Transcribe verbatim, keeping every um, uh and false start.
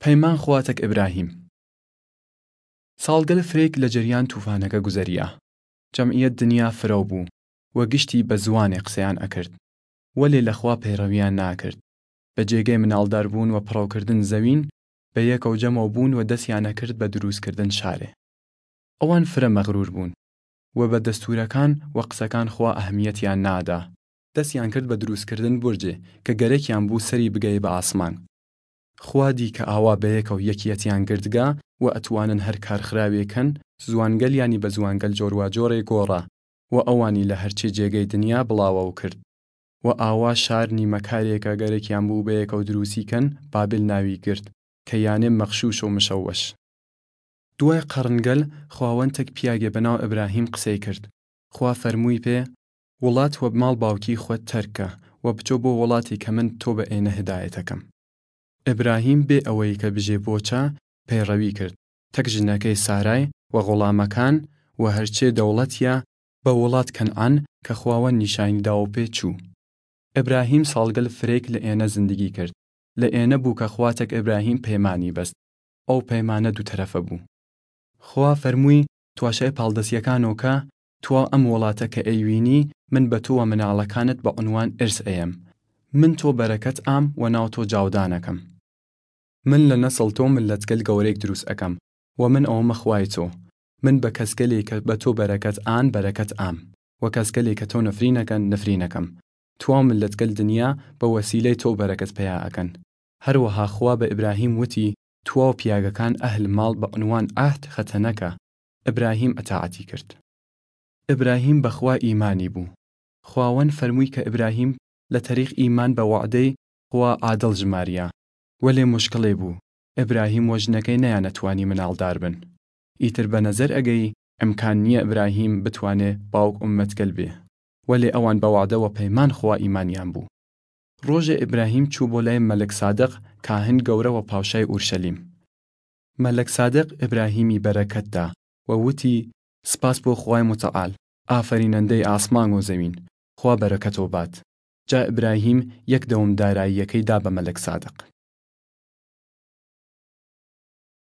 پەیمان خواتەک ئبراهیم. ساڵگەل فرەیگ لە جەریان تووفانەگە گوزەریا. جەمعیەت دنیا فرەو بۊ، و گشتی بە زووانێ قسەیان ئەکرد. وەلێ لە خوا پەیڕەویان ناکرد. بە جێگەی مناڵداربۊن و پڕەوکردن زەوین، بە یەکەو جەمەو بۊن و دەسیان ئەکرد بە دروسکردن شارێ. ئەوان فرە مەغرور بۊن، و بە دەستوورەکان و قسەکان خوا ئەهمیەتیان نادا. دەسیان کرد بە دروسکردن بورجێ کە گەرەکیان بۊ سەری بگەێ بە ئاسمان. خوا دی کە ئاوا بەیەکەو یەکیەتیان گردگە و ئەتوانن هەر کار خراوێ کەن، زوانگەلیانی بە زوانگەل جۆرواجۆرێ گۆڕا و ئەوانی لە هەرچێ جێگەی دنیا بڵاوەو کرد. و ئاوا شار نیمەکارێ کە گەرەکیان بۊ بەیەکەو دروسی کەن، بابل ناوی گرد، کە یانێ مەغشوش و مشەوەش. دۊای قەڕنگەل خواوەن تەک پیاگێ بەناو ئبراهیم قسەی کرد. خوا فەرمووی پێ، وڵات و ماڵ باوکی خوەد تەرک کە و بچۆ بۆ وڵاتێ کە من تۆ بە ئێنە هدایەتە کەم. ئبراهیم بێ ئەوەی کە بژێ بۆچە، پەیڕەوی کرد، تەک ژنەکەی سارای و غوڵامەکان و هەرچێ دەوڵەتیە بە وڵات کەنعان کە خواوەن نیشانی داوە پێ چوو. ئبراهیم ساڵگەل فرەیگ لە ئێنە زندگی کرد. لە ئێنە بۊ کە خوا تەک ئبراهیم پەیمانی بەست. ئەو پەیمانە دۊ تەرەفە بۊ. خوا فەرمووی، تواشای پاڵدەسیەکانەو کە، تواو ئەم وڵاتە کە ئەیوینی، من بە تو و مناڵەکانت بە عنوان ئرس ئەیەم. من تۆ بەرەکەت ئام و ناو تۆ جاودانەکەم. من لە نەسڵ تۆ مللەتگەل گەورەیگ دروس ئەکەم، و من ئەومە خوای تۆ. من بە کەسگەلێ کە بە تۆ بەرەکەت ئان بەرەکەت ئام، و کەسگەلێ کە تۆ نفرینەکەن نفرینەکەم. تواو مللەتگەل دنیا بە وەسیلەی تۆ بەرەکەت پەیا ئەکەن. هەروەها خوا بە ئبراهیم وتی، تواو پیاگەکان ئەهل ماڵ بە عنوان عەهد خەتەنە کە. ئبراهیم ئەتاعەتی کرد. ئبراهیم بە خوا ئیمانی بۊ. خواوەن فەرمووی کە ئبراهیم لە تەریق ئیمان بە وەعدەی خوا عادڵ ژماریا. وەلێ مشکڵێ بۊ، ئبراهیم و ژنەکەی نەیانەتوانی مناڵدار بن. ئیتر بە نەزەر ئەگەی ئمکان نییە ئبراهیم بتوانێ باوگ ئوممەتگەل بێ. وەلێ ئەوان بە وەعدە و پەیمان خوا ئیمانیان بۊ. ڕۆژێ ئبراهیم چوو بۆ لای مەلک سادق کاهن گەورە و پاوشای ئورشەلیم. مەلک سادق ئبراهیمی بەرەکەت دا و وتی، سپاس بۆ خوای متعال، ئافەرینەندەی ئاسمان و زەوین، خوا بەرەکەتۆ بات. جا ئبراهیم یەک دەوم داراییەکەی دا بە مەلک سادق.